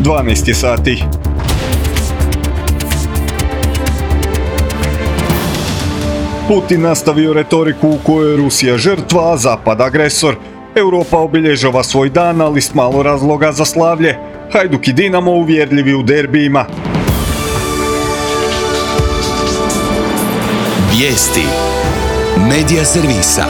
12 je sati. Putin nastavio retoriku u kojoj je Rusija žrtva, a Zapad agresor. Europa obilježava svoj dan, ali s malo razloga za slavlje. Hajduk i Dinamo uvjerljivi u derbijima. Vijesti Medija servisa.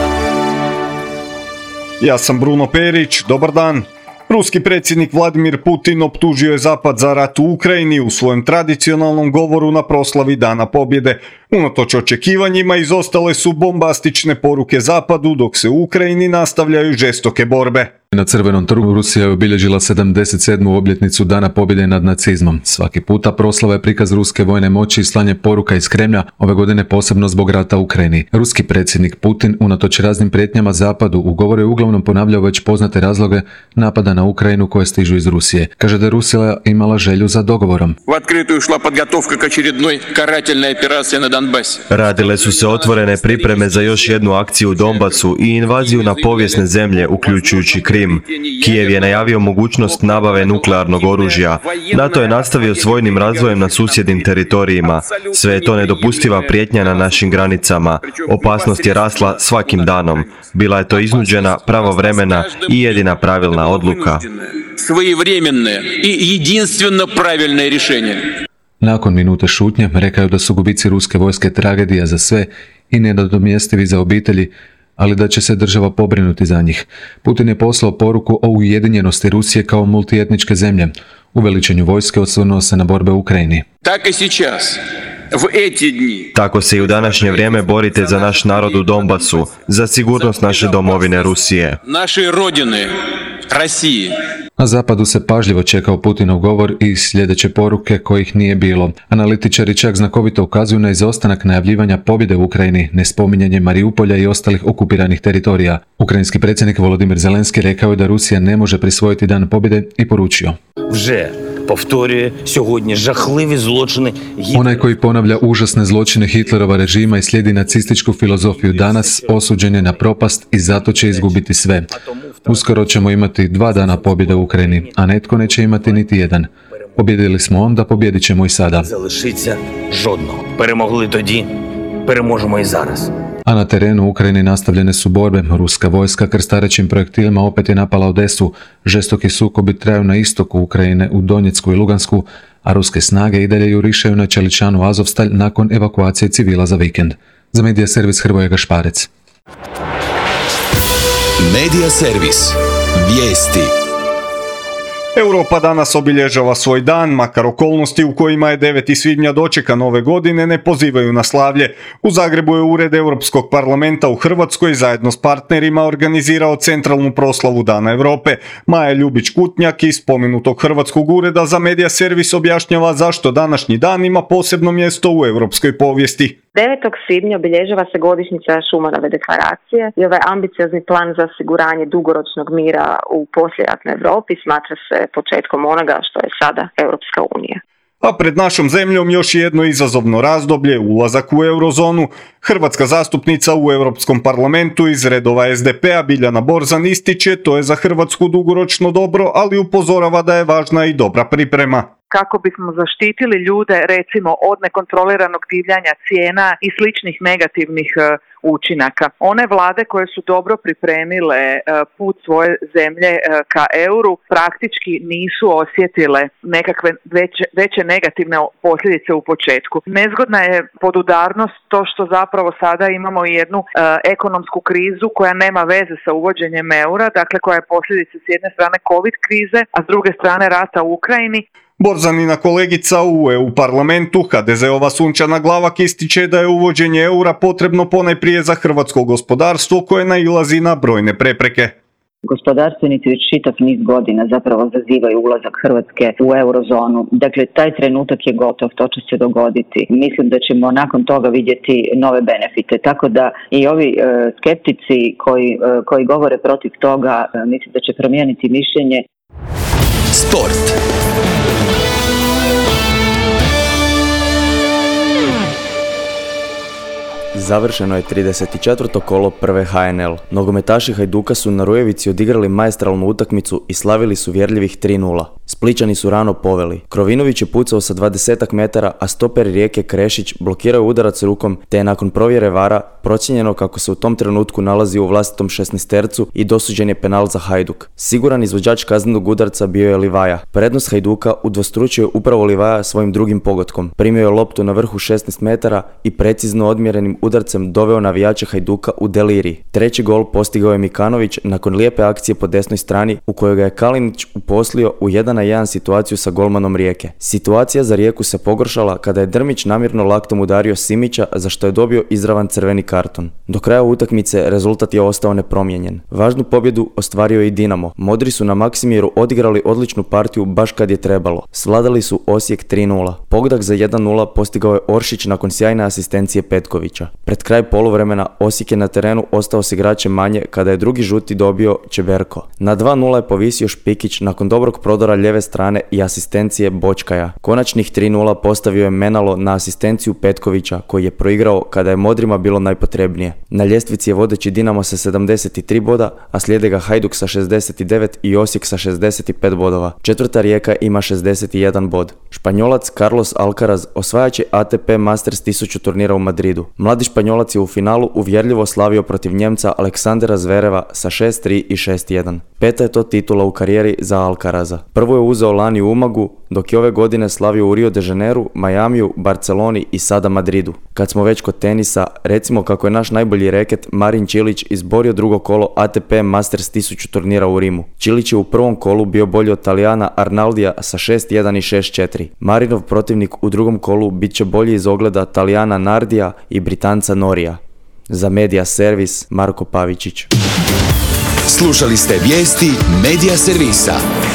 Ja sam Bruno Perić, dobar dan. Ruski predsjednik Vladimir Putin optužio je Zapad za rat u Ukrajini u svojem tradicionalnom govoru na proslavi Dana pobjede. Unatoč očekivanjima izostale su bombastične poruke Zapadu, dok se u Ukrajini nastavljaju žestoke borbe. Na Crvenom trgu Rusija je obilježila 77. obljetnicu Dana pobjede nad nacizmom. Svaki puta proslava je prikaz ruske vojne moći i slanje poruka iz Kremlja, ove godine posebno zbog rata u Ukrajini. Ruski predsjednik Putin, unatoč raznim prijetnjama Zapadu, u govoru je uglavnom ponavljao već poznate razloge napada na Ukrajinu koje stižu iz Rusije. Kaže da je Rusija imala želju za dogovorom. Radile su se otvorene pripreme za još jednu akciju u Donbasu i invaziju na povijesne zemlje, uključujući Krim. Kijev je najavio mogućnost nabave nuklearnog oružja. NATO je nastavio s vojnim razvojem na susjednim teritorijima. Sve je to nedopustiva prijetnja na našim granicama. Opasnost je rasla svakim danom. Bila je to iznuđena, pravovremena i jedina pravilna odluka. Nakon minute šutnje rekao je da su gubici ruske vojske tragedija za sve i nenadomjestivi za obitelji, ali da će se država pobrinuti za njih. Putin je poslao poruku o ujedinjenosti Rusije kao multietničke zemlje. U veličanju vojske osvrnuo se na borbe u Ukrajini. Tako se i u današnje vrijeme borite za naš narod u Donbasu, za sigurnost naše domovine Rusije. Na zapadu se pažljivo čekao Putinov govor i sljedeće poruke kojih nije bilo. Analitičari čak znakovito ukazuju na izostanak najavljivanja pobjede u Ukrajini, nespominjanje Mariupolja i ostalih okupiranih teritorija. Ukrajinski predsjednik Volodymyr Zelenski rekao je da Rusija ne može prisvojiti dan pobjede i poručio: onaj koji ponavlja užasne zločine Hitlerova režima i slijedi nacističku filozofiju danas osuđen je na propast i zato će izgubiti sve. Uskoro ćemo imati 2 dana pobjede u Ukrajini, a netko neće imati niti jedan. Pobjedili smo onda, pobjedit ćemo i sada. A na terenu u Ukrajini nastavljene su borbe. Ruska vojska krstarećim projektilima opet je napala Odesu. Žestoki sukobi traju na istoku Ukrajine, u Donjecku i Lugansku, a ruske snage i dalje jurišaju na čeličanu Azovstalj nakon evakuacije civila za vikend. Za Medija servis Hrvoje Gašparec. Medija servis. Vijesti. Europa danas obilježava svoj dan, makar okolnosti u kojima je 9. svibnja dočekan ove godine ne pozivaju na slavlje. U Zagrebu je Ured Europskog parlamenta u Hrvatskoj zajedno s partnerima organizirao centralnu proslavu Dana Europe. Maja Ljubić-Kutnjak iz spomenutog Hrvatskog ureda za Medija servis objašnjava zašto današnji dan ima posebno mjesto u europskoj povijesti. 9. svibnja obilježava se godišnjica Schumanove deklaracije i ovaj ambiciozni plan za osiguranje dugoročnog mira u poslijeratnoj Europi smatra se početkom onoga što je sada Europska unija. A pred našom zemljom još jedno izazovno razdoblje, ulazak u eurozonu. Hrvatska zastupnica u Europskom parlamentu iz redova SDP-a Biljana Borzan ističe to je za Hrvatsku dugoročno dobro, ali upozorava da je važna i dobra priprema. Kako bismo zaštitili ljude recimo od nekontroliranog divljanja cijena i sličnih negativnih učinaka. One vlade koje su dobro pripremile put svoje zemlje ka euru praktički nisu osjetile nekakve veće negativne posljedice u početku. Nezgodna je podudarnost to što zapravo sada imamo jednu ekonomsku krizu koja nema veze sa uvođenjem eura, dakle koja je posljedica s jedne strane COVID krize, a s druge strane rata u Ukrajini. Borzanina kolegica u EU parlamentu, HDZ-ova Sunčana Glavak, ističe da je uvođenje eura potrebno ponajprije za hrvatsko gospodarstvo koje nailazi na brojne prepreke. Gospodarstvenici već čitav niz godina zapravo zazivaju ulazak Hrvatske u eurozonu. Dakle, taj trenutak je gotov, to će se dogoditi. Mislim da ćemo nakon toga vidjeti nove benefite. Tako da i ovi skeptici koji govore protiv toga, mislim da će promijeniti mišljenje. Sport. Završeno je 34. kolo prve HNL. Nogometaši Hajduka su na Rujevici odigrali maestralnu utakmicu i slavili su uvjerljivih 3:0. Splićani su rano poveli. Krovinović je pucao sa 20 metara, a stoper Rijeke Krešić blokirao udarac rukom, te je nakon provjere VAR-a procijenjeno kako se u tom trenutku nalazi u vlastitom 16-tercu i dosuđen je penal za Hajduk. Siguran izvođač kaznenog udarca bio je Livaja. Prednost Hajduka udvostručio je upravo Livaja svojim drugim pogotkom. Primio je loptu na vrhu 16 metara i precizno odmjerenim udarcem doveo navijače Hajduka u delirij. Treći gol postigao je Mikanović nakon lijepe akcije po desnoj strani u kojoj ga je Kalinić uposlio u 1-1 situaciju sa golmanom Rijeke. Situacija za Rijeku se pogoršala kada je Drmić namjerno laktom udario Simića, za što je dobio izravan crveni karton. Do kraja utakmice rezultat je ostao nepromijenjen. Važnu pobjedu ostvario i Dinamo. Modri su na Maksimiru odigrali odličnu partiju baš kad je trebalo. Svladali su Osijek 3-0. Pogodak za 1-0 postigao je Oršić nakon sjajne asistencije Petkovića. Pred kraj poluvremena Osijek je na terenu ostao s igračem manje kada je drugi žuti dobio Čeberko. Na 2-0 je povisio Špikić nakon dobrog prodora lijeve strane i asistencije Bočkaja. Konačnih 3-0 postavio je Menalo na asistenciju Petkovića koji je proigrao kada je Modrima bilo najpotrebnije. Na ljestvici je vodeći Dinamo sa 73 boda, a slijede ga Hajduk sa 69 i Osijek sa 65 bodova. Četvrta Rijeka ima 61 bod. Španjolac Carlos Alcaraz osvajač će ATP Masters 1000 turnira u Madridu. Mladi Španjolac je u finalu uvjerljivo slavio protiv Njemca Aleksandera Zvereva sa 6-3 i 6-1. Peta je to titula u karijeri za Alcaraza. Prvo je uzeo lani u Umagu, dok je ove godine slavio u Rio de Janeiru, Majamiju, Barceloni i sada Madridu. Kad smo već kod tenisa, recimo kako je naš najbolji reket Marin Čilić izborio drugo kolo ATP Masters 1000 turnira u Rimu. Čilić je u prvom kolu bio bolji od Talijana Arnaldija sa 6-1 i 6-4. Marinov protivnik u drugom kolu bit će bolji iz ogleda Talijana Nardija i Britanca Norija. Za Media Servis, Marko Pavičić. Slušali ste vijesti Media Servisa.